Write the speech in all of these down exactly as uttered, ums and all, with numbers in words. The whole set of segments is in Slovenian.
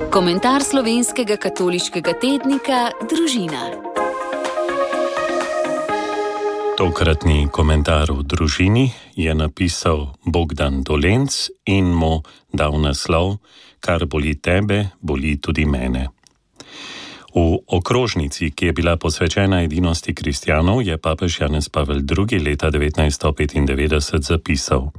Komentar slovenskega katoliškega tednika Družina. Tokratni komentar v Družini je napisal Bogdan Dolenc in mu dal naslov Kar boli tebe, boli tudi mene. V okrožnici, ki je bila posvečena edinosti kristjanov, je papež Janez Pavel drugi. leta devetnajststo petindevetdeset zapisal: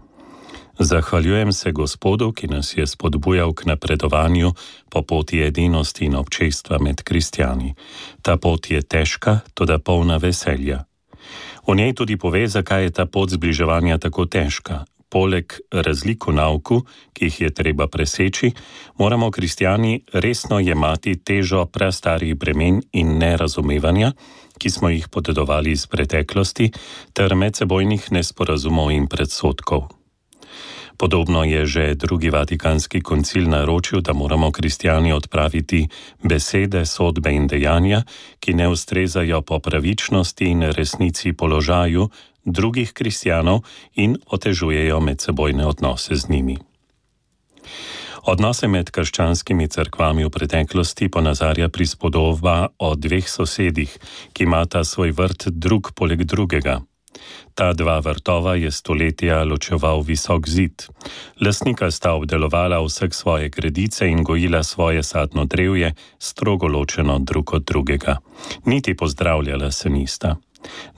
Zahvaljujem se Gospodu, ki nas je spodbujal k napredovanju po poti edinosti in občestva med kristjani. Ta pot je težka, toda polna veselja. V njej tudi pove, zakaj je ta pot zbliževanja tako težka. Poleg razlik v nauku, ki jih je treba preseči, moramo kristjani resno jemati težo prastarih bremen in nerazumevanja, ki smo jih podedovali iz preteklosti, ter medsebojnih nesporazumov in predsodkov. Podobno je že drugi vatikanski koncil naročil, da moramo kristjani odpraviti besede, sodbe in dejanja, ki ne ustrezajo po pravičnosti in resnici položaju drugih kristjanov in otežujejo medsebojne odnose z njimi. Odnose med krščanskimi cerkvami v preteklosti ponazarja prispodoba o dveh sosedih, ki imata svoj vrt drug poleg drugega. Ta dva vrtova je stoletja ločeval visok zid. Lastnika sta obdelovala vseh svoje gredice in gojila svoje sadno drevje, strogo ločeno drug od drugega. Niti pozdravljala se nista.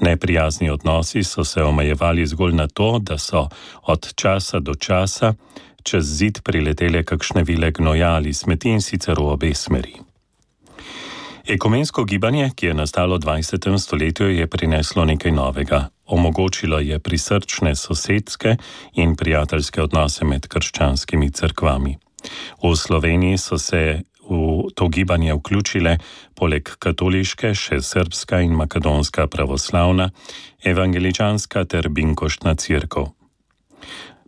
Neprijazni odnosi so se omejevali zgolj na to, da so od časa do časa čez zid priletele kakšne vile gnoja ali smeti, in sicer v obe smeri. Ekumensko gibanje, ki je nastalo v dvajsetem stoletju, je prineslo nekaj novega. Omogočilo je prisrčne sosedske in prijateljske odnose med krščanskimi cerkvami. V Sloveniji so se v to gibanje vključile poleg katoliške še srbska in makedonska pravoslavna, evangeličanska ter binkoštna cerkev.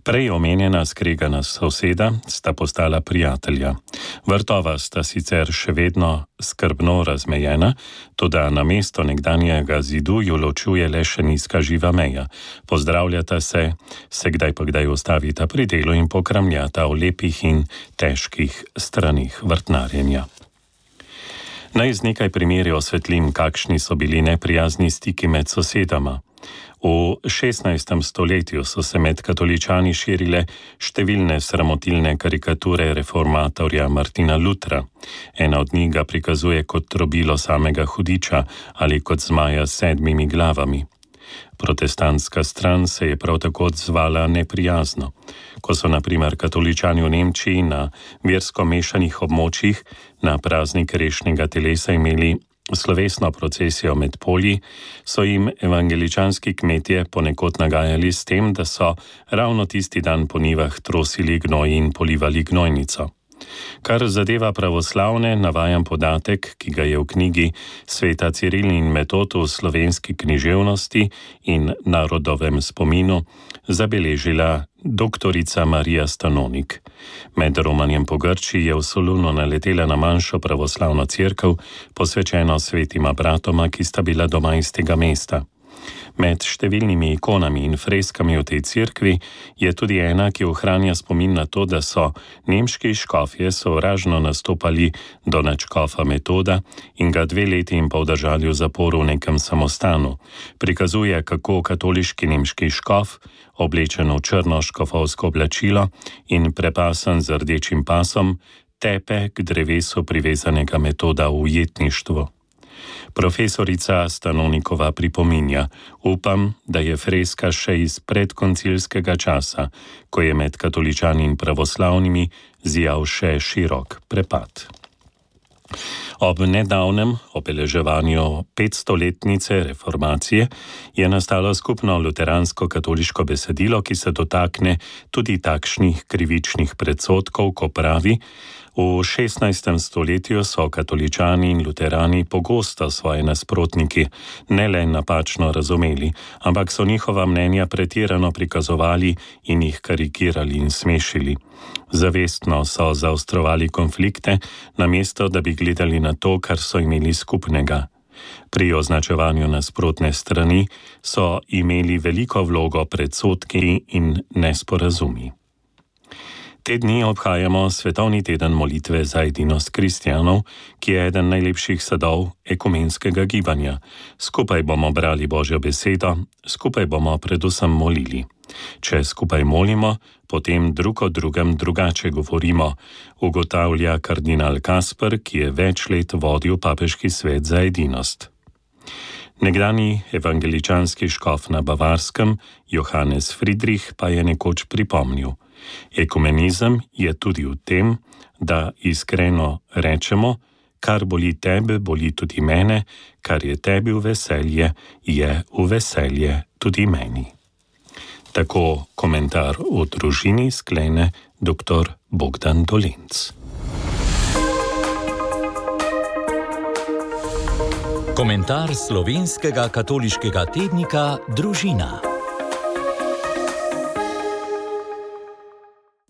Prej omenjena skregana soseda sta postala prijatelja. Vrtova sta sicer še vedno skrbno razmejena, toda namesto nekdanjega zidu ju ločuje le še nizka živa meja. Pozdravljata se, se kdaj pa kdaj ustavita pri delu in pokramljata o lepih in težkih stranih vrtnarjenja. Naj z nekaj primeri osvetlim, kakšni so bili neprijazni stiki med sosedama. V šestnajstem stoletju so se med katoličani širile številne sramotilne karikature reformatorja Martina Lutra. Ena od njih ga prikazuje kot trobilo samega hudiča ali kot zmaja s sedmimi glavami. Protestantska stran se je prav tako odzvala neprijazno. Ko so na primer katoličani v Nemčiji na versko mešanih območjih na praznik rešnega telesa imeli slovesno procesijo med polji, so jim evangeličanski kmetje ponekod nagajali s tem, da so ravno tisti dan po njivah trosili gnoj in polivali gnojnico. Kar zadeva pravoslavne, navajam podatek, ki ga je v knjigi Sveta Ciril in Metod v slovenski književnosti in narodovem spominu zabeležila doktorica Marija Stanonik. Med romanjem po Grčiji je v Solunu naletela na manjšo pravoslavno cerkev, posvečeno svetima bratoma, ki sta bila doma iz tega mesta. Med številnimi ikonami in freskami v tej cerkvi je tudi ena, ki ohranja spomin na to, da so nemški škofje sovražno nastopali do nadškofa Metoda in ga dve leti in pol držali v zaporu v nekem samostanu. Prikazuje, kako katoliški nemški škof, oblečen v črno škofovsko oblačilo in prepasan z rdečim pasom, tepe k drevesu privezanega Metoda v ujetništvu. Profesorica Stanonikova pripominja: upam, da je freska še iz predkoncilskega časa, ko je med katoličani in pravoslavnimi zijal še širok prepad. Ob nedavnem obeleževanju petstoletnice reformacije je nastalo skupno luteransko-katoliško besedilo, ki se dotakne tudi takšnih krivičnih predsodkov, ko pravi: v šestnajstem stoletju so katoličani in luterani pogosto svoje nasprotniki ne le napačno razumeli, ampak so njihova mnenja pretirano prikazovali in jih karikirali in smešili. Zavestno so zaostrovali konflikte, namesto da bi gledali na to, kar so imeli skupnega. Pri označevanju nasprotne strani so imeli veliko vlogo predsodki in nesporazumi. Te dni obhajamo Svetovni teden molitve za edinost kristjanov, ki je eden najlepših sadov ekumenskega gibanja. Skupaj bomo brali Božjo besedo, skupaj bomo predvsem molili. Če skupaj molimo, potem drug o drugem drugače govorimo, ugotavlja kardinal Kasper, ki je več let vodil papeški svet za edinost. Nekdani evangeličanski škof na Bavarskem, Johannes Friedrich, pa je nekoč pripomnil: ekumenizem je tudi v tem, da iskreno rečemo, kar boli tebe, boli tudi mene, kar je tebi v veselje, je v veselje tudi meni. Tako komentar v družini sklene dr. Bogdan Dolenc. Komentar slovenskega katoliškega tednika Družina.